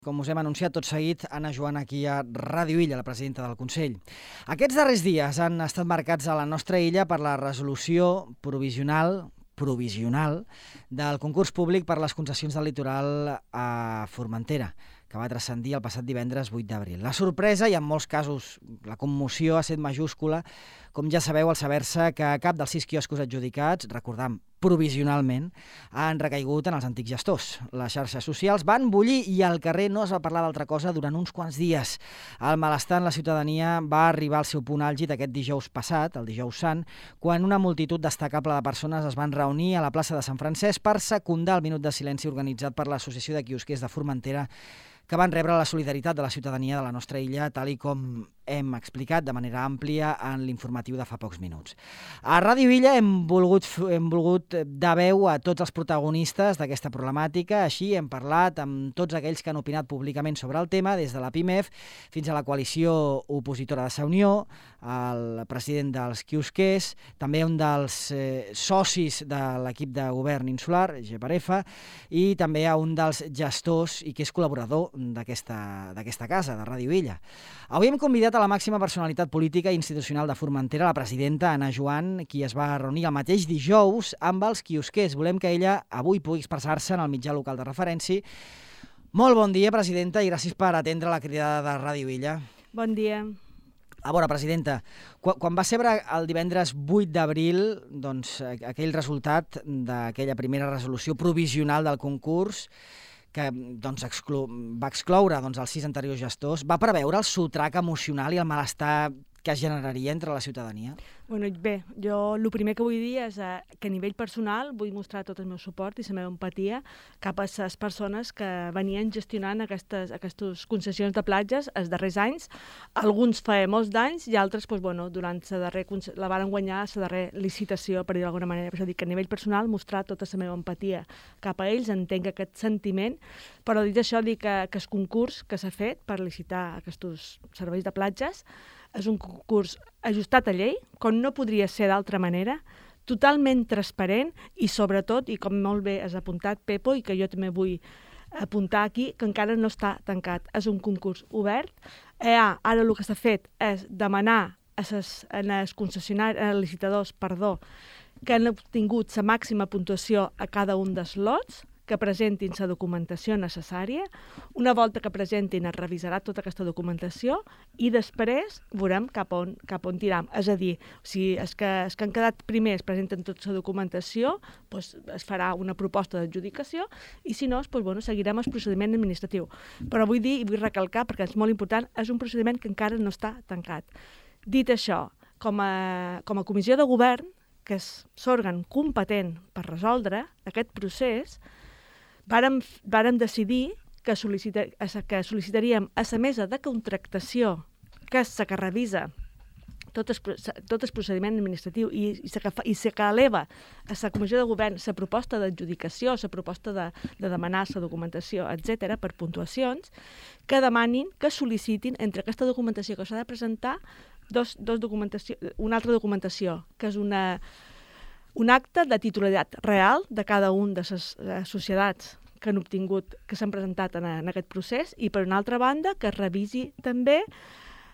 Com us hem anunciat tot seguit, Anna Joana aquí a Ràdio Illa, la presidenta del Consell. Aquests darrers dies han estat marcats a la nostra illa per la resolució provisional del concurs públic per les concessions del litoral a Formentera, que va transcendir el passat divendres 8 d'abril. La sorpresa i en molts casos la commoció ha estat majúscula, com ja sabeu, al saber-se que cap dels 6 quioscos adjudicats, recordam, provisionalment, han recaigut en els antics gestors. Les xarxes socials van bullir i al carrer no es va parlar d'altra cosa durant uns quants dies. El malestar en la ciutadania va arribar al seu punt àlgid aquest dijous passat, el dijous sant, quan una multitud destacable de persones es van reunir a la plaça de Sant Francesc per secundar el minut de silenci organitzat per l'Associació de Quiosquers de Formentera, que van rebre la solidaritat de la ciutadania de la nostra illa, tal i com hem explicat de manera àmplia en l'informatiu de fa pocs minuts. A Ràdio Illa hem volgut dar veu a tots els protagonistes d'aquesta problemàtica, així hem parlat amb tots aquells que han opinat públicament sobre el tema, des de la PIMEF fins a la coalició opositora de Sa Unió, el president dels quiosquers, també un dels socis de l'equip de govern insular, GPRF, i també a un dels gestors i que és col·laborador d'aquesta casa, de Ràdio Illa. Avui hem convidat a la màxima personalitat política i institucional de Formentera, la presidenta Anna Joan, qui es va reunir el mateix dijous amb els quiosquers. Volem que ella avui pugui expressar-se en el mitjà local de referència. Molt bon dia, presidenta, i gràcies per atendre la cridada de Ràdio Illa. Bon dia. A veure, presidenta, quan va ser el divendres 8 d'abril, doncs, aquell resultat d'aquella primera resolució provisional del concurs, que doncs, va excloure els 6 anteriors gestors, va preveure el sotrac emocional i el malestar que es generaria entre la ciutadania? Bé, jo el primer que vull dir és que a nivell personal vull mostrar tot el meu suport i la meva empatia cap a les persones que venien gestionant aquestes concessions de platges els darrers anys. Alguns fa molts d'anys i altres durant la van guanyar la darrera licitació, per dir d'alguna manera. Per això dic que a nivell personal mostrar tota la meva empatia cap a ells, entenc aquest sentiment, però dit això dic que el concurs que s'ha fet per licitar aquests serveis de platges és un concurs ajustat a llei, com no podria ser d'altra manera, totalment transparent i sobretot, i com molt bé has apuntat, Pepo, i que jo també vull apuntar aquí, que encara no està tancat. És un concurs obert. Ara el que s'ha fet és demanar als licitadors que han obtingut la màxima puntuació a cada un dels lots, que presentin la documentació necessària. Una volta que presentin es revisarà tota aquesta documentació i després veurem cap on tiram. És a dir, si els que han quedat primers presenten tota la documentació, es farà una proposta d'adjudicació i si no, seguirem el procediment administratiu. Però vull dir i vull recalcar, perquè és molt important, és un procediment que encara no està tancat. Dit això, com a comissió de govern, que és l'òrgan competent per resoldre aquest procés, vàrem decidir que sol·licitaríem a la mesa de contractació, que és la que revisa tot el procediment administratiu i la que eleva a la comissió de govern la proposta d'adjudicació, la proposta de demanar la documentació, etc., per puntuacions, que demanin, que sol·licitin entre aquesta documentació que s'ha de presentar una altra documentació, que és un acte de titularitat real de cada un de les societats que s'han presentat en aquest procés i, per una altra banda, que es revisi també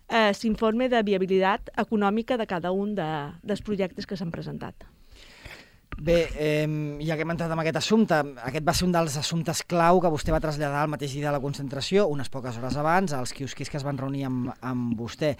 l'informe de viabilitat econòmica de cada un dels projectes que s'han presentat. Bé, ja que hem entrat en aquest assumpte, aquest va ser un dels assumptes clau que vostè va traslladar el mateix dia de la concentració, unes poques hores abans, als quiosquers que es van reunir amb vostè.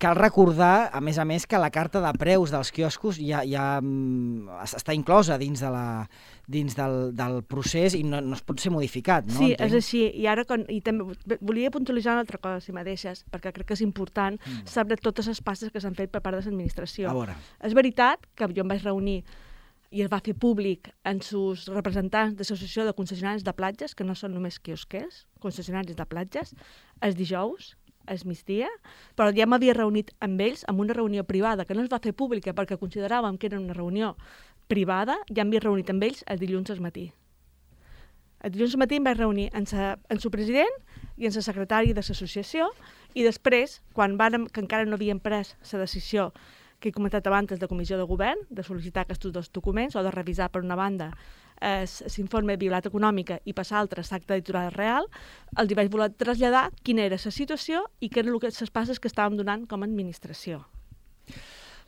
Cal recordar, a més, que la carta de preus dels quioscos ja està inclosa dins del procés i no es pot ser modificat, no? Sí, és així. I també volia puntualitzar una altra cosa, si me deixes, perquè crec que és important saber totes les passes que s'han fet per part de l'administració. És veritat que jo em vaig reunir i es va fer públic en els representants de l'Associació de Concessionaris de Platges, que no són només quiosquers, concessionaris de platges, els dijous, al migdia, però ja m'havia reunit amb ells en una reunió privada que no es va fer pública perquè consideràvem que era una reunió privada, ja m'havia reunit amb ells el dilluns al matí. El dilluns al matí em vaig reunir amb el president i amb el secretari de l'associació i després, que encara no havíem pres la decisió que he comentat abans de comissió de govern, de sol·licitar aquests 2 documents o de revisar, per una banda, l'informe de viabilitat econòmica i passar a altres acte editorial real, els hi vaig voler traslladar quina era la situació i què eren les passes que estàvem donant com a administració.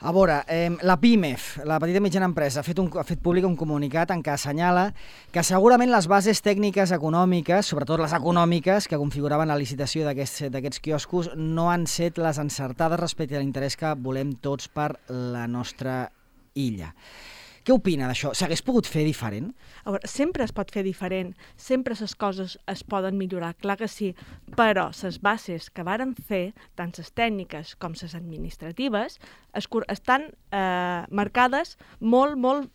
A veure, la PIMEF, la petita i mitjana empresa, ha fet públic un comunicat en què assenyala que segurament les bases tècniques econòmiques, sobretot les econòmiques, que configuraven la licitació d'aquests quioscos, no han set les encertades respecte a l'interès que volem tots per la nostra illa. Què opina d'això? S'hagués pogut fer diferent? A veure, sempre es pot fer diferent, sempre les coses es poden millorar, clar que sí, però les bases que varen fer, tant les tècniques com les administratives, estan marcades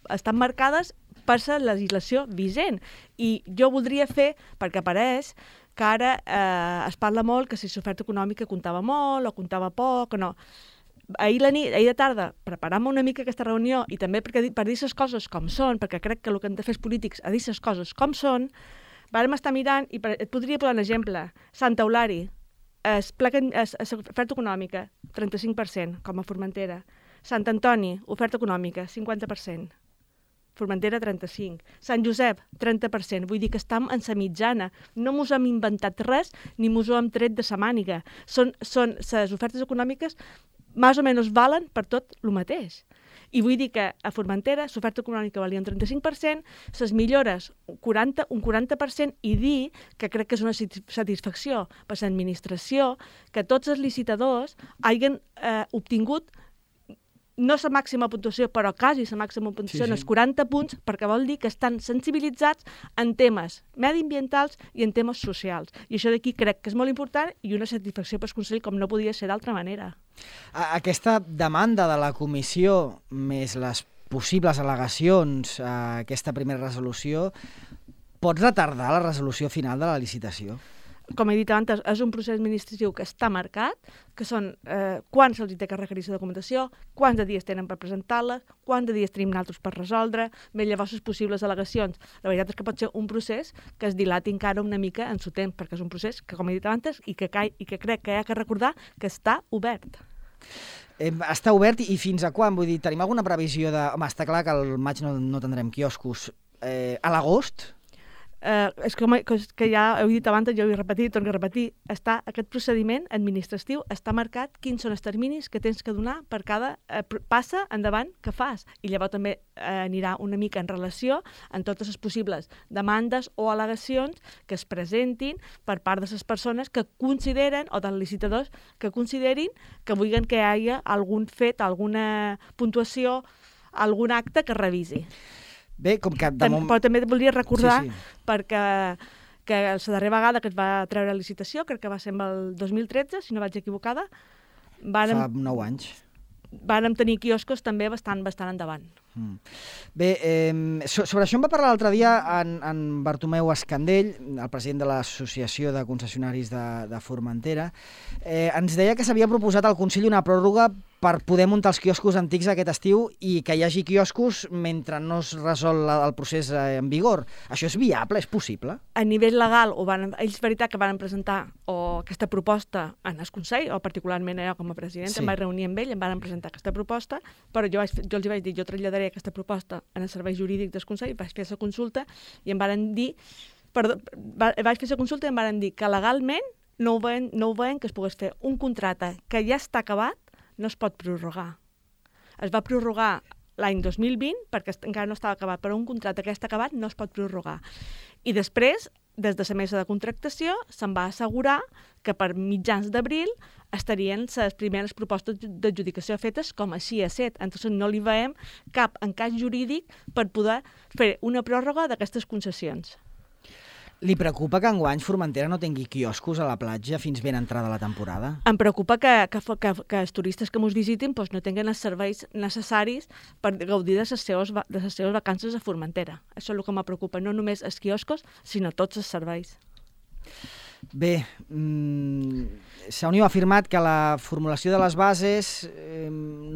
estan marcades per la legislació vigent. I jo voldria fer, perquè pareix que ara es parla molt que si l'oferta econòmica comptava molt o comptava poc o no. Ahir de tarda, preparant-me una mica aquesta reunió i també per dir les coses com són, perquè crec que el que hem de fer els polítics és dir les coses com són, vàrem estar mirant, i et podria posar un exemple. Santa Eulària, oferta econòmica, 35%, com a Formentera. Sant Antoni, oferta econòmica, 50%. Formentera, 35%. Sant Josep, 30%. Vull dir que estem en la mitjana. No mos hem inventat res, ni mos ho hem tret de sa màniga. Són les ofertes econòmiques més o menys valen per tot el mateix. I vull dir que a Formentera l'oferta econòmica valia un 35%, les millores un 40%, i dir que crec que és una satisfacció per l'administració que tots els licitadors hagin obtingut no la màxima puntuació, però quasi la màxima puntuació, en els 40 punts, perquè vol dir que estan sensibilitzats en temes mediambientals i en temes socials. I això d'aquí crec que és molt important i una satisfacció pel Consell, com no podia ser d'altra manera. Aquesta demanda de la comissió, més les possibles al·legacions a aquesta primera resolució, pot retardar la resolució final de la licitació? Com he dit abans, és un procés administratiu que està marcat, que són quan se'ls té que requerir la documentació, quants de dies tenen per presentar-la, quants de dies tenim nosaltres per resoldre, més llavors les possibles al·legacions. La veritat és que pot ser un procés que es dilati encara una mica en el temps, perquè és un procés que, com he dit abans, i que crec que hi ha que recordar que està obert. Està obert i fins a quan? Vull dir, tenim alguna previsió de... Home, està clar que al maig no tindrem quioscos. A l'agost? És que ja heu dit abans, jo ho he repetit, torno a repetir, aquest procediment administratiu està marcat quins són els terminis que tens que donar per cada passa endavant que fas. I llavors també anirà una mica en relació amb totes les possibles demandes o al·legacions que es presentin per part de les persones que consideren, o dels licitadors que considerin que vulguin que hi hagi algun fet, alguna puntuació, algun acte que revisi. Bé, com que... Però també volia recordar, perquè que la darrera vegada que es va treure la licitació, crec que va ser el 2013, si no vaig equivocada, fa 9 anys. Vàrem tenir quioscos també bastant endavant. Bé, sobre això em va parlar l'altre dia en Bartomeu Escandell, el president de l'Associació de Concessionaris de Formentera. Ens deia que s'havia proposat al Consell una pròrroga per poder muntar els quioscos antics aquest estiu i que hi hagi quioscos mentre no es resol el procés en vigor. Això és viable? És possible? A nivell legal, ells veritat que van presentar aquesta proposta en el Consell, o particularment jo com a president, em vaig reunir amb ell, em van presentar aquesta proposta, però jo els vaig dir, jo traslladaré aquesta proposta en el servei jurídic del Consell, vaig fer la consulta i em van dir, que legalment no ho veien que es pogués fer un contracte que ja està acabat, no es pot prorrogar. Es va prorrogar l'any 2020 perquè encara no estava acabat, però un contracte que ja està acabat no es pot prorrogar. I després, des de la mesa de contractació, se'n va assegurar que per mitjans d'abril estarien les primeres propostes d'adjudicació fetes, com així ha estat. Entonces no li veiem cap encaix jurídic per poder fer una pròrroga d'aquestes concessions. Li preocupa que enguany Formentera no tingui quioscos a la platja fins ben entrada la temporada? Em preocupa que els turistes que ens visitin no tinguin els serveis necessaris per gaudir de les seves vacances a Formentera. Això és el que em preocupa, no només els quioscos, sinó tots els serveis. Bé, Unió ha afirmat que la formulació de les bases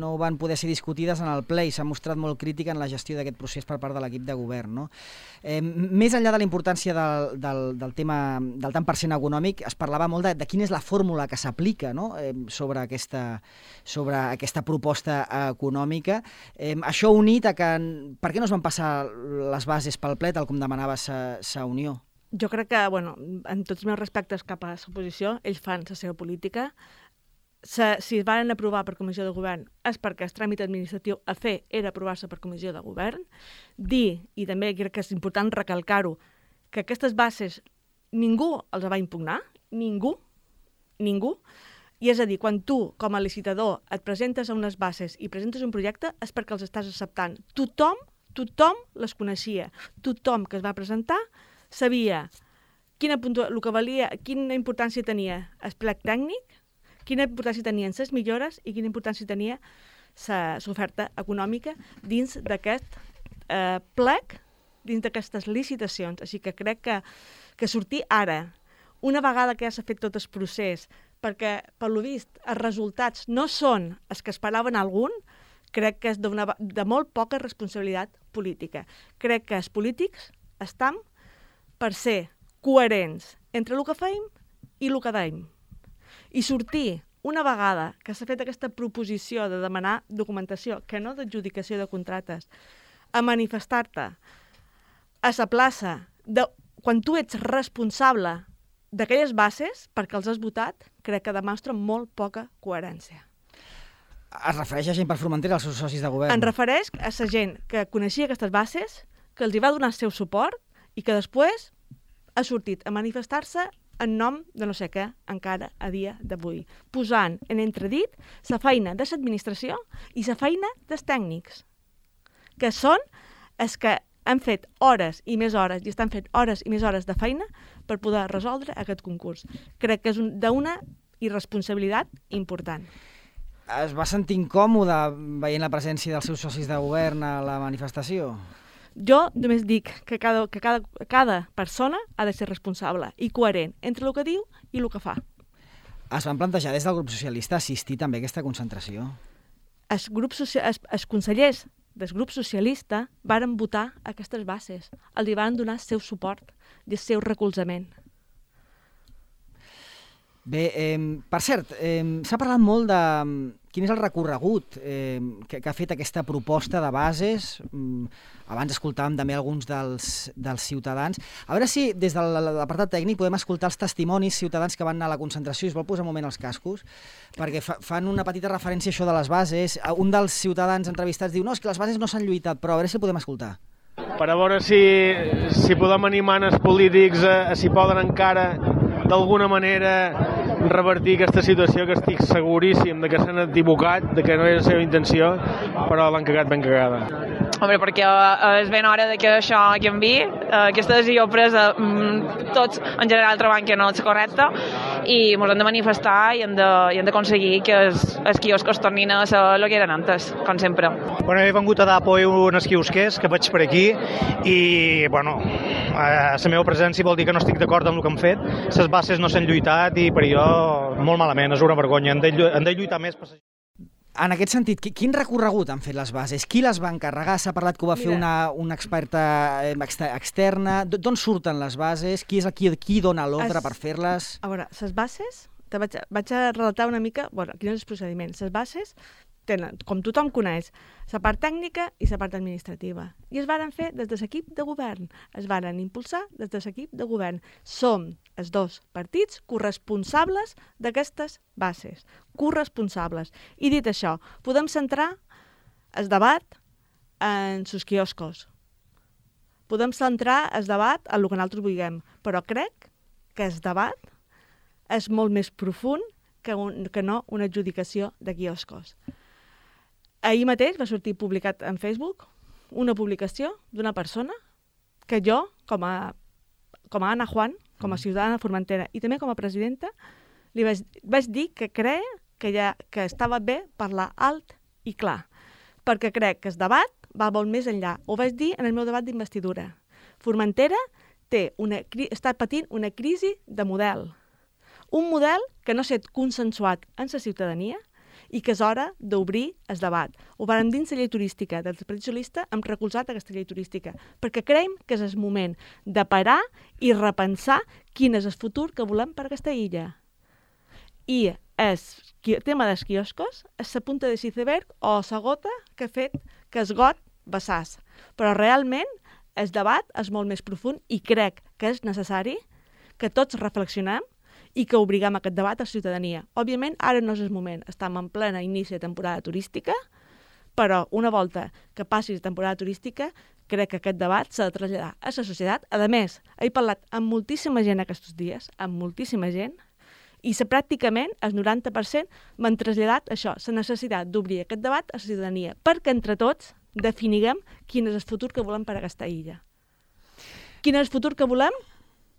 no van poder ser discutides en el ple i s'ha mostrat molt crítica en la gestió d'aquest procés per part de l'equip de govern, no? Més enllà de la importància del tema del tant per cent econòmic, es parlava molt de quina és la fórmula que s'aplica, no? sobre aquesta proposta econòmica. Això unit a que... Per què no es van passar les bases pel ple, tal com demanava sa Unió? Jo crec que, en tots els meus respectes cap a l'oposició, ells fan la seva política. Si es van aprovar per comissió de govern és perquè el tràmit administratiu a fer era aprovar-se per comissió de govern. Dir, i també crec que és important recalcar-ho, que aquestes bases ningú els va impugnar, ningú, i és a dir, quan tu, com a licitador, et presentes a unes bases i presentes un projecte és perquè els estàs acceptant. Tothom les coneixia, tothom que es va presentar sabia quina importància tenia el plec tècnic, quina importància tenien les millores i quina importància tenia l'oferta econòmica dins d'aquest plec, dins d'aquestes licitacions. Així que crec que sortir ara, una vegada que ja s'ha fet tot el procés, perquè, per lo vist, els resultats no són els que esperaven algun, crec que és de molt poca responsabilitat política. Crec que els polítics estan per ser coherents entre el que feim i el que deim. I sortir, una vegada que s'ha fet aquesta proposició de demanar documentació, que no d'adjudicació de contractes, a manifestar-te a la plaça, quan tu ets responsable d'aquelles bases, perquè els has votat, crec que demostra molt poca coherència. Es refereix a gent per Formentera, als seus socis de govern? En refereix a la gent que coneixia aquestes bases, que els hi va donar el seu suport i que després ha sortit a manifestar-se en nom de no sé què, encara a dia d'avui, posant en entredit la feina de l'administració i la feina dels tècnics, que són els que han fet hores i més hores i estan fent hores i més hores de feina per poder resoldre aquest concurs. Crec que és d'una irresponsabilitat important. Es va sentir incòmode veient la presència dels seus socis de govern a la manifestació? Jo només dic que cada persona ha de ser responsable i coherent entre el que diu i el que fa. Es van plantejar des del grup socialista assistir també a aquesta concentració? Els consellers del grup socialista varen votar aquestes bases. Els hi van donar el seu suport i el seu recolzament. Bé, per cert, s'ha parlat molt de quin és el recorregut que ha fet aquesta proposta de bases. Abans escoltàvem també alguns dels ciutadans. A veure si des de l'apartat tècnic podem escoltar els testimonis ciutadans que van anar a la concentració. Es vol posar un moment els cascos, perquè fan una petita referència a això de les bases. Un dels ciutadans entrevistats diu no, és que les bases no s'han lluitat, però a veure si el podem escoltar. Per a veure si podem animar els polítics si poden encara d'alguna manera revertir aquesta situació, que estic seguríssim de que s'han equivocat, de que no és la seva intenció, però l'han cagat ben cagada. Hombre, perquè és ben hora de que això canvi. Aquesta decisió presa, tots en general trobem que no és correcta i ens hem de manifestar i hem d'aconseguir que els quioscos tornin a ser el que eren antes, com sempre. Bueno, he vengut a dar apoyo a uns quiosquers que veig per aquí i, bueno, la meva presència vol dir que no estic d'acord amb el que han fet. Les bases no s'han lluitat i per jo molt malament, és una vergonya. Han de lluitar més per... En aquest sentit, quin recorregut han fet les bases? Qui les va encarregar? S'ha parlat que ho va fer una experta externa. D'on surten les bases? Qui és qui dona l'ordre per fer-les? A veure, les bases, vaig a relatar una mica quin és el procediment. Les bases tenen, com tothom coneix, la part tècnica i la part administrativa. I es varen fer des de l'equip de govern. Es varen impulsar des de l'equip de govern. Som els dos partits corresponsables d'aquestes bases. Corresponsables. I dit això, podem centrar el debat en els quioscos. Podem centrar el debat en el que nosaltres vulguem. Però crec que el debat és molt més profund que no una adjudicació de quioscos. Ahir mateix va sortir publicat en Facebook una publicació d'una persona que jo, com a Anna Juan, com a ciutadana de Formentera i també com a presidenta, li vaig dir que creia que estava bé parlar alt i clar, perquè crec que el debat va molt més enllà. Ho vaig dir en el meu debat d'investidura. Formentera està patint una crisi de model. Un model que no s'ha consensuat en la ciutadania i que és hora d'obrir el debat. Ho vàrem dins la llei turística. Del Partit Socialista hem recolzat aquesta llei turística perquè creiem que és el moment de parar i repensar quin és el futur que volem per aquesta illa. I el tema dels quioscos és la punta de l'iceberg o la gota que ha fet que es got vessàs. Però realment el debat és molt més profund i crec que és necessari que tots reflexionem i que obriguem aquest debat a la ciutadania. Òbviament, ara no és el moment. Estem en plena inici de temporada turística, però una volta que passi la temporada turística, crec que aquest debat s'ha de traslladar a la societat. A més, he parlat amb moltíssima gent aquests dies, amb moltíssima gent, i pràcticament el 90% m'han traslladat això, la necessitat d'obrir aquest debat a la ciutadania, perquè entre tots definiguem quin és el futur que volem per a aquesta illa. Quin és el futur que volem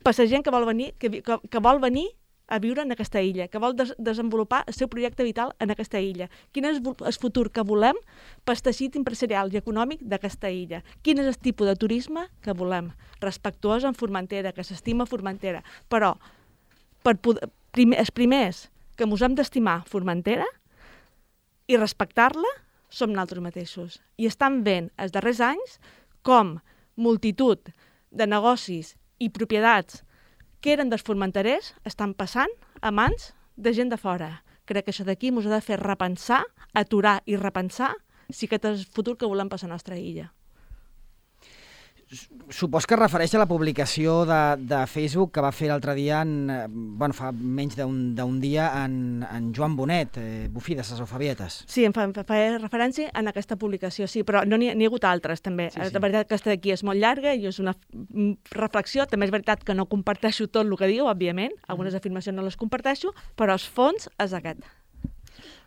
per a la gent que vol venir a viure en aquesta illa, que vol desenvolupar el seu projecte vital en aquesta illa. Quin és el futur que volem per al teixit empresarial i econòmic d'aquesta illa. Quin és el tipus de turisme que volem. Respectuós amb Formentera, que s'estima Formentera. Però els primers que ens hem d'estimar Formentera i respectar-la som nosaltres mateixos. I estan veient els darrers anys com multitud de negocis i propietats que eren dels formenterers estan passant a mans de gent de fora. Crec que això d'aquí ens ha de fer repensar, aturar i repensar si aquest és el futur que volem per a la nostra illa. Supos que es refereix a la publicació de Facebook que va fer l'altre dia, fa menys d'un dia, en Joan Bonet, Bufí de ses Alfabietes. Sí, em fa referència en aquesta publicació, sí, però no n'hi ha hagut altres, també. Sí. La veritat que aquesta d'aquí és molt llarga i és una reflexió. També és veritat que no comparteixo tot el que diu, òbviament. Algunes afirmacions no les comparteixo, però el fons és aquest.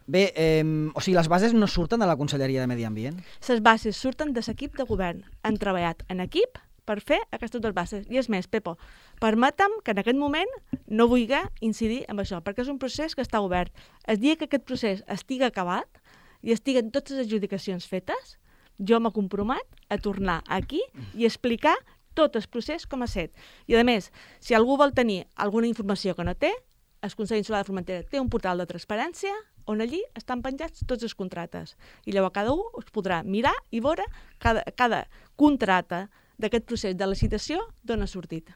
Bé, les bases no surten de la Conselleria de Medi Ambient? Les bases surten de l'equip de govern. Han treballat en equip per fer aquestes dues bases. I és més, Pepo, permetem que en aquest moment no vulgui incidir en això, perquè és un procés que està obert. El dia que aquest procés estigui acabat i estiguen totes les adjudicacions fetes, jo m'he compromet a tornar aquí i explicar tot el procés com ha estat. I a més, si algú vol tenir alguna informació que no té, el Consell Insular de Formentera té un portal de transparència on allí estan penjats tots els contractes. I llavors cada un es podrà mirar i veure cada contracte d'aquest procés de licitació d'on ha sortit.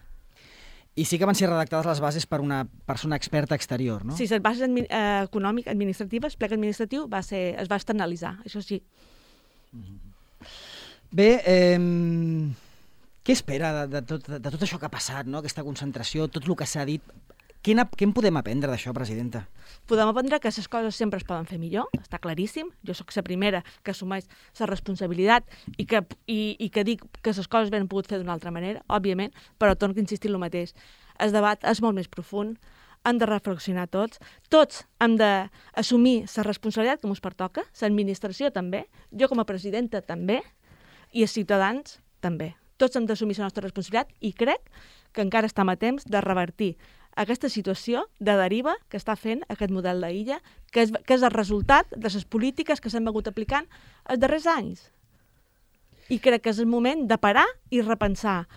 I sí que van ser redactades les bases per una persona experta exterior, no? Sí, les bases econòmiques, administratives, el plec administratiu es va externalitzar, això sí. Bé, què espera de tot això que ha passat, no? Aquesta concentració, tot el que s'ha dit? Què en podem aprendre d'això, presidenta? Podem aprendre que les coses sempre es poden fer millor, està claríssim. Jo sóc la primera que assumeix la responsabilitat i que dic que les coses ben pogut fer d'una altra manera, òbviament, però torno a insistir en el mateix. El debat és molt més profund, hem de reflexionar tots hem d'assumir la responsabilitat que ens pertoca, l'administració també, jo com a presidenta també, i els ciutadans també. Tots hem d'assumir la nostra responsabilitat i crec que encara estem a temps de revertir aquesta situació de deriva que està fent aquest model d'illa, que és el resultat de les polítiques que s'han begut aplicant els darrers anys. I crec que és el moment de parar i repensar.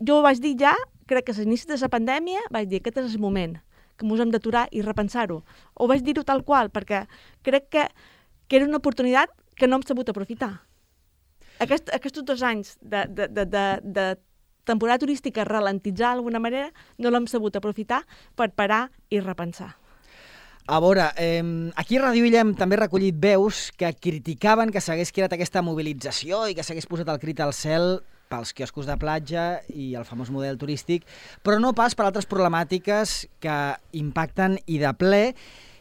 Jo ho vaig dir ja, crec que a l'inici de la pandèmia vaig dir que aquest és el moment, que ens hem d'aturar i repensar-ho. Ho vaig dir-ho tal qual, perquè crec que era una oportunitat que no hem sabut aprofitar. Aquests 2 anys de temporada turística ralentitzar d'alguna manera, no l'hem sabut aprofitar per parar i repensar. A veure, aquí a Ràdio Illa hem també recollit veus que criticaven que s'hagués creat aquesta mobilització i que s'hagués posat el crit al cel pels quioscos de platja i el famós model turístic, però no pas per altres problemàtiques que impacten i de ple,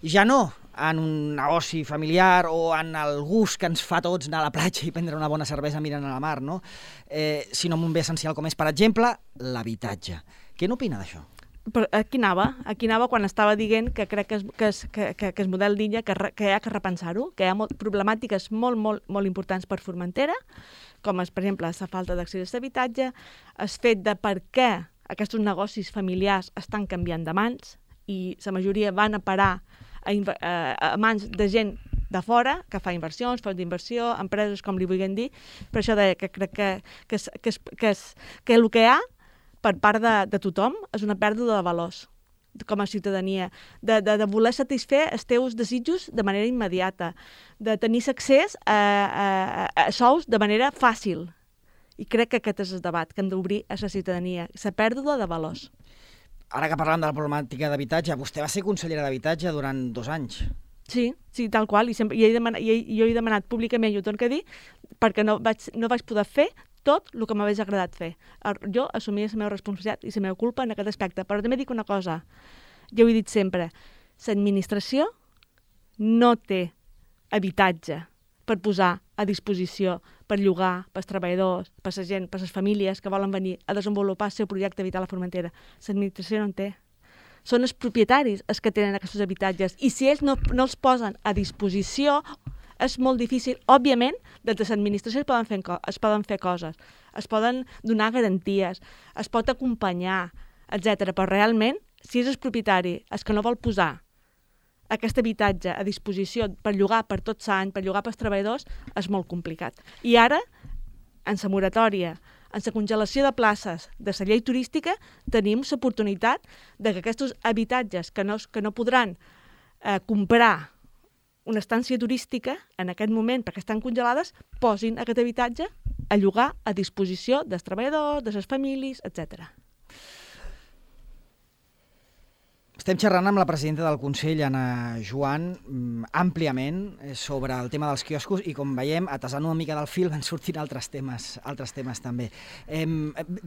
ja no en un negoci familiar o en el gust que ens fa tots anar a la platja i prendre una bona cervesa mirant a la mar, no? Sinó en un bé essencial com és, per exemple, l'habitatge. Què n'opina d'això? Aquí anava quan estava dient que crec que el model d'illa que hi ha que repensar-ho, que hi ha problemàtiques molt importants per Formentera, com és, per exemple, la falta d'accés a l'habitatge, el fet de per què aquests negocis familiars estan canviant de mans i la majoria van a parar a mans de gent de fora, que fa inversions, fons d'inversió, empreses, com li vulguin dir, per això que crec que el que hi ha per part de tothom és una pèrdua de valors. com a ciutadania, de voler satisfer els teus desitjos de manera immediata, de tenir accés a sous de manera fàcil. I crec que aquest és el debat que hem d'obrir a la ciutadania, la pèrdua de valors. Ara que parlem de la problemàtica d'habitatge, vostè va ser consellera d'habitatge durant 2 anys. Sí, tal qual, i jo he demanat públicament, i ho torno a dir, perquè no vaig poder fer tot el que m'hagués agradat fer. Jo assumia la meva responsabilitat i la meva culpa en aquest aspecte, però també dic una cosa, jo ho he dit sempre, l'administració no té habitatge per posar a disposició, per llogar, pels treballadors, per la gent, per les famílies que volen venir a desenvolupar el seu projecte vital a Formentera. L'administració no en té. Són els propietaris els que tenen aquests habitatges i si ells no els posen a disposició és molt difícil. Òbviament, des de l'administració es poden fer coses, es poden donar garanties, es pot acompanyar, etc. Però realment, si és el propietari el que no vol posar aquest habitatge a disposició per llogar per tot l'any, per llogar pels treballadors, és molt complicat. I ara, en la moratòria, en la congelació de places de la llei turística, tenim l'oportunitat que aquests habitatges que no podran comprar una estància turística en aquest moment, perquè estan congelades, posin aquest habitatge a llogar a disposició dels treballadors, de les famílies, etc. Estem xerrant amb la presidenta del Consell, Anna Joan, àmpliament sobre el tema dels quioscos i, com veiem, atasant una mica del fil van sortint altres temes també.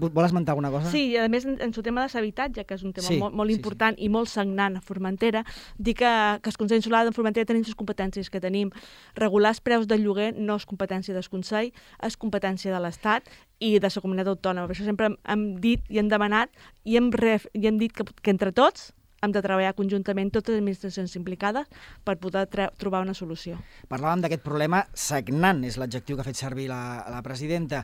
Vol esmentar alguna cosa? Sí, i a més, en el tema de l'habitatge, que és un tema molt important i molt sagnant a Formentera, dir que el Consell Insular de Formentera tenim les competències que tenim. Regular els preus del lloguer no és competència del Consell, és competència de l'Estat i de la comunitat autònoma. Per això sempre hem dit i hem demanat i hem dit que entre tots hem de treballar conjuntament totes les administracions implicades per poder trobar una solució. Parlàvem d'aquest problema sagnant, és l'adjectiu que ha fet servir la presidenta.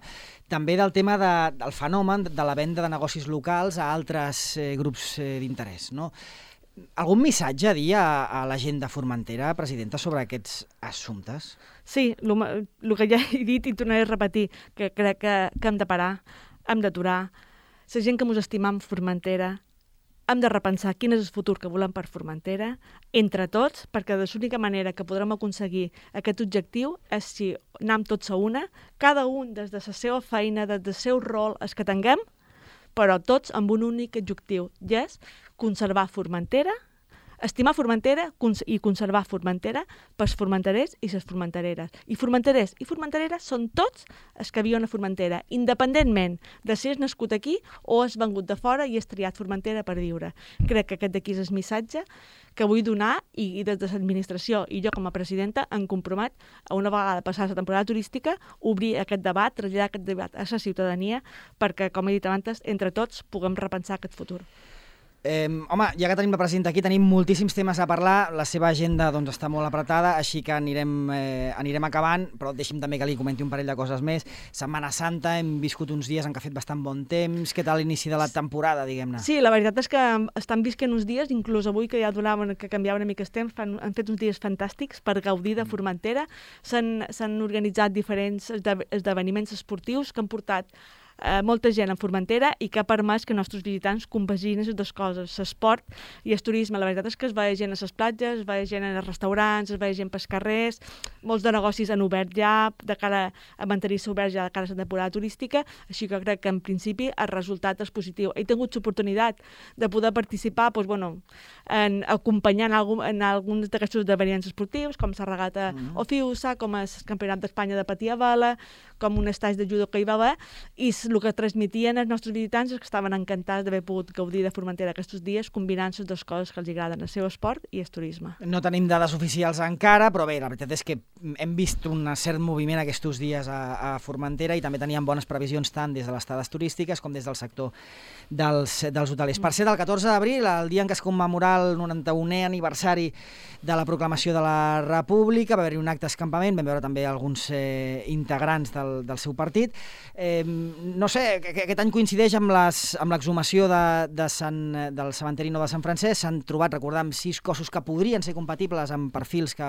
També del tema del fenomen de la venda de negocis locals a altres grups d'interès, no? Algun missatge a dir a la gent de Formentera, presidenta, sobre aquests assumptes? Sí, el que ja he dit i tornaré a repetir, que crec que hem de parar, hem d'aturar. La gent que ens estimam Formentera, hem de repensar quin és el futur que volem per Formentera, entre tots, perquè de l'única manera que podrem aconseguir aquest objectiu és si anem tots a una, cada un des de la seva feina, des del seu rol, els que tinguem, però tots amb un únic objectiu, i és conservar Formentera, estimar Formentera i conservar Formentera pels formenterers i les formentereres. I formenterers i formentereres són tots els que viuen a Formentera, independentment de si és nascut aquí o has vengut de fora i has triat Formentera per viure. Crec que aquest d'aquí és el missatge que vull donar i des de l'administració i jo com a presidenta em compromet a una vegada passada la temporada turística obrir aquest debat, traslladar aquest debat a la ciutadania perquè, com he dit abans, entre tots puguem repensar aquest futur. Home, ja que tenim la presidenta aquí, tenim moltíssims temes a parlar, la seva agenda doncs, està molt apretada, així que anirem acabant, però deixi'm també que li comenti un parell de coses més. Setmana Santa, hem viscut uns dies en què ha fet bastant bon temps. Què tal l'inici de la temporada, diguem-ne? Sí, la veritat és que estan visquent uns dies, inclús avui que ja donaven que canviava una mica el temps, han fet uns dies fantàstics per gaudir de Formentera. S'han organitzat diferents esdeveniments esportius que han portat molta gent a Formentera i que ha permès que els nostres visitants compaginin les dues coses, l'esport i el turisme. La veritat és que es veia gent a les platges, es veia gent als restaurants, es veia gent pels carrers, molts de negocis han obert ja de cara a mantenir-se oberts ja de cara a la temporada turística, així que crec que en principi el resultat és positiu. He tingut l'oportunitat de poder participar acompanyant en alguns d'aquests esdeveniments esportius, com la regata Ofiusa, com el Campionat d'Espanya de patir a vela, com un estatge de judo que hi va haver, i el que transmetien els nostres visitants és que estaven encantats d'haver pogut gaudir de Formentera aquests dies, combinant les dues coses que els agraden, el seu esport i el turisme. No tenim dades oficials encara, però bé, la veritat és que hem vist un cert moviment aquests dies a Formentera i també teníem bones previsions tant des de les estades turístiques com des del sector dels hotelers. Per ser del 14 d'abril, el dia en què es commemorà el 91è aniversari de la proclamació de la República, va haver-hi un acte d'escampament, vam veure també alguns integrants del seu partit. No sé, aquest any coincideix amb l'exhumació del cementeri nou de Sant Francesc. S'han trobat, recordem, 6 cossos que podrien ser compatibles amb perfils que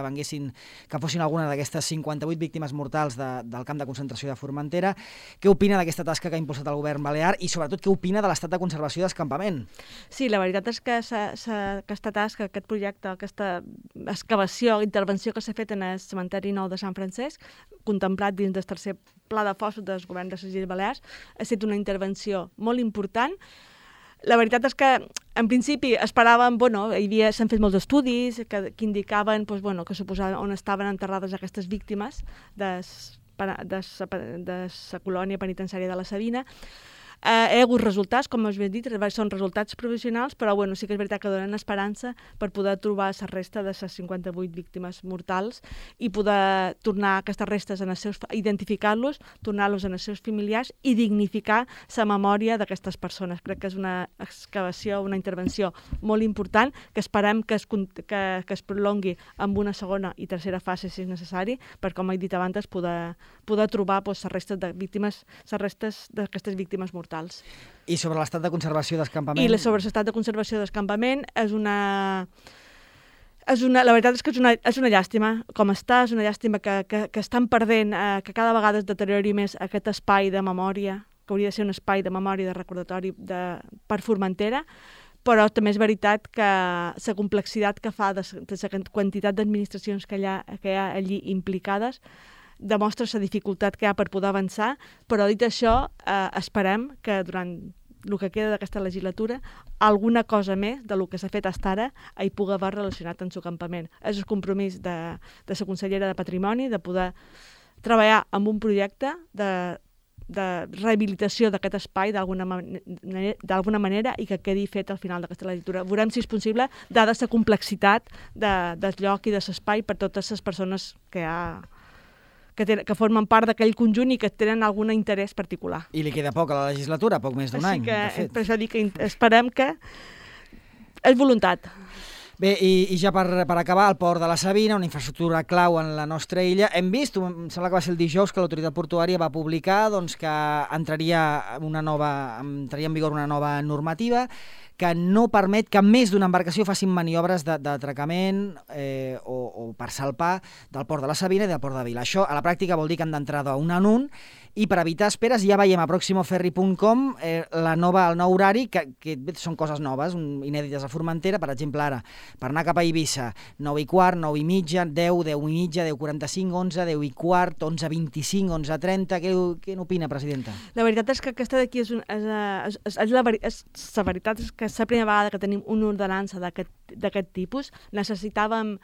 fossin alguna d'aquestes 58 víctimes mortals del camp de concentració de Formentera. Què opina d'aquesta tasca que ha impulsat el govern balear i, sobretot, què opina de l'estat de conservació d'escampament? Sí, la veritat és que aquesta tasca, aquest projecte, aquesta excavació, intervenció que s'ha fet en el cementeri nou de Sant Francesc, contemplat dins del tercer pla de fossos del govern de les Illes Balears, ha estat una intervenció molt important. La veritat és que, en principi, esperàvem, s'han fet molts estudis que indicaven que suposaven on estaven enterrades aquestes víctimes de la colònia penitenciària de la Sabina. Hi ha hagut resultats, com us he dit, són resultats provisionals, però sí que és veritat que donen esperança per poder trobar la resta de les 58 víctimes mortals i poder tornar aquestes restes, identificar-los, tornar-los en els seus familiars i dignificar la memòria d'aquestes persones. Crec que és una excavació, una intervenció molt important, que esperem que es prolongui amb una segona i tercera fase, si és necessari, per, com he dit abans, poder trobar les restes d'aquestes víctimes mortals. I sobre l'estat de conservació d'escampament? I sobre l'estat de conservació d'escampament la veritat és que és una llàstima com està, és una llàstima que estan perdent, que cada vegada es deteriori més aquest espai de memòria, que hauria de ser un espai de memòria, de recordatori per Formentera, però també és veritat que la complexitat que fa de la quantitat d'administracions que hi ha allí implicades demostra la dificultat que hi ha per poder avançar, però dit això, esperem que durant el que queda d'aquesta legislatura alguna cosa més del que s'ha fet fins ara hi pugui haver relacionat amb el campament. És el compromís de la consellera de Patrimoni de poder treballar amb un projecte de rehabilitació d'aquest espai d'alguna manera i que quedi fet al final d'aquesta legislatura. Veurem si és possible, dada la complexitat del lloc i de l'espai per totes les persones que formen part d'aquell conjunt i que tenen algun interès particular. I li queda poc a la legislatura, poc més d'un any, de fet. Per això dic que esperem que és voluntat. Bé, i ja per acabar, el port de la Sabina, una infraestructura clau en la nostra illa. Hem vist, em sembla que va ser el dijous, que l'autoritat portuària va publicar que entraria en vigor una nova normativa que no permet que més d'una embarcació facin maniobres d'atracament o per salpar del port de la Sabina i del port de Vila. Això, a la pràctica, vol dir que han d'entrar d'un en un, i per evitar esperes ja veiem a proximoferri.com el nou horari, que són coses noves, inèdites a Formentera. Per exemple, ara, per anar cap a Eivissa, 9:15, 9:30, 10, 10:30, 10:45, 11, 10:15, 11:25, 11:30... Què n'opina, presidenta? La veritat és que aquesta d'aquí la veritat és que és la primera vegada que tenim una ordenança d'aquest tipus. Necessitàvem,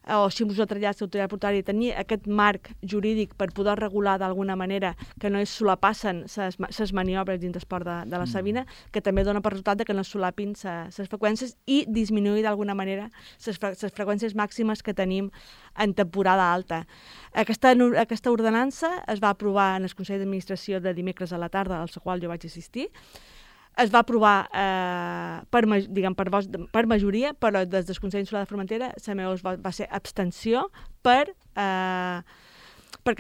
o si us ho ha traslladat l'autoritat portuària, tenir aquest marc jurídic per poder regular d'alguna manera que no es solapassen les maniobres dins del port de la Sabina, que també dona per resultat que no es solapin les freqüències i disminuir d'alguna manera les freqüències màximes que tenim en temporada alta. Aquesta ordenança es va aprovar en el Consell d'Administració de dimecres a la tarda, al qual jo vaig assistir. Es va aprovar per majoria, però des del Consell Insular de Formentera la meva va ser abstenció perquè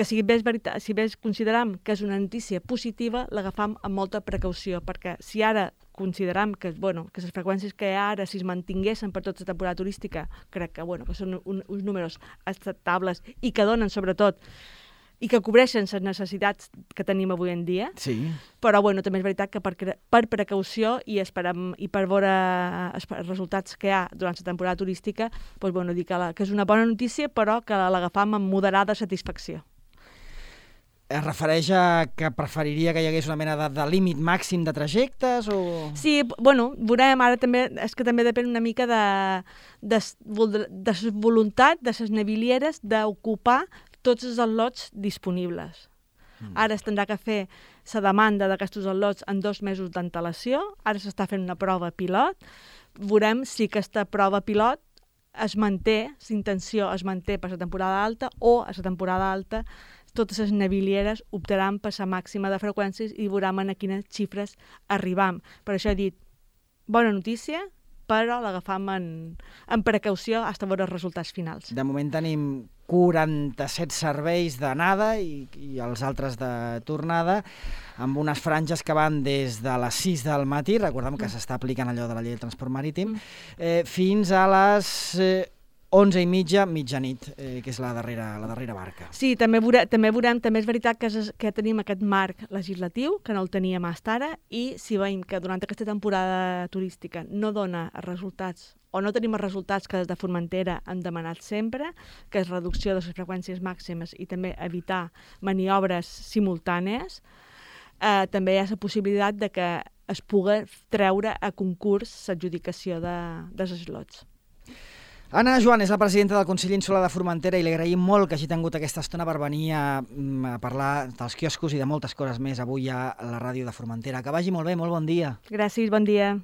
si bé consideram que és una notícia positiva, l'agafam amb molta precaució, perquè si ara consideram que les freqüències que hi ha ara, si es mantinguessin per tota la temporada turística, crec que són uns números acceptables i que donen, sobretot, i que cobreixen les necessitats que tenim avui en dia. Sí. Però també és veritat que per precaució i per veure els resultats que hi ha durant la temporada turística, dir que és una bona notícia, però que l'agafam amb moderada satisfacció. Es refereix a que preferiria que hi hagués una mena de límit màxim de trajectes? O... Sí, veurem, ara també, és que també depèn una mica de voluntat de les navilieres d'ocupar tots els al·lots disponibles. Ara es tindrà que fer la demanda d'aquests al·lots en 2 mesos d'antelació, ara s'està fent una prova pilot, veurem si aquesta prova pilot es manté, l'intenció es manté per la temporada alta o a la temporada alta totes les navilieres optaran per la màxima de freqüències i veurem a quines xifres arribam. Per això he dit, bona notícia, però l'agafam en precaució fins a veure els resultats finals. De moment tenim 47 serveis d'anada i els altres de tornada, amb unes franges que van des de les 6 del matí, recordem que s'està aplicant allò de la llei del transport marítim, fins a les 11:30, mitjanit, que és la darrera barca. Sí, també veurem, també és veritat que tenim aquest marc legislatiu, que no el teníem fins ara, i si veiem que durant aquesta temporada turística no dona resultats o no tenim els resultats que des de Formentera hem demanat sempre, que és reducció de les freqüències màximes i també evitar maniobres simultànies, també hi ha la possibilitat de que es pugui treure a concurs l'adjudicació dels slots. Anna Joan és la presidenta del Consell Insular de Formentera i li agraïm molt que hagi tingut aquesta estona per venir a parlar dels quioscos i de moltes coses més avui a la ràdio de Formentera. Que vagi molt bé, molt bon dia. Gràcies, bon dia.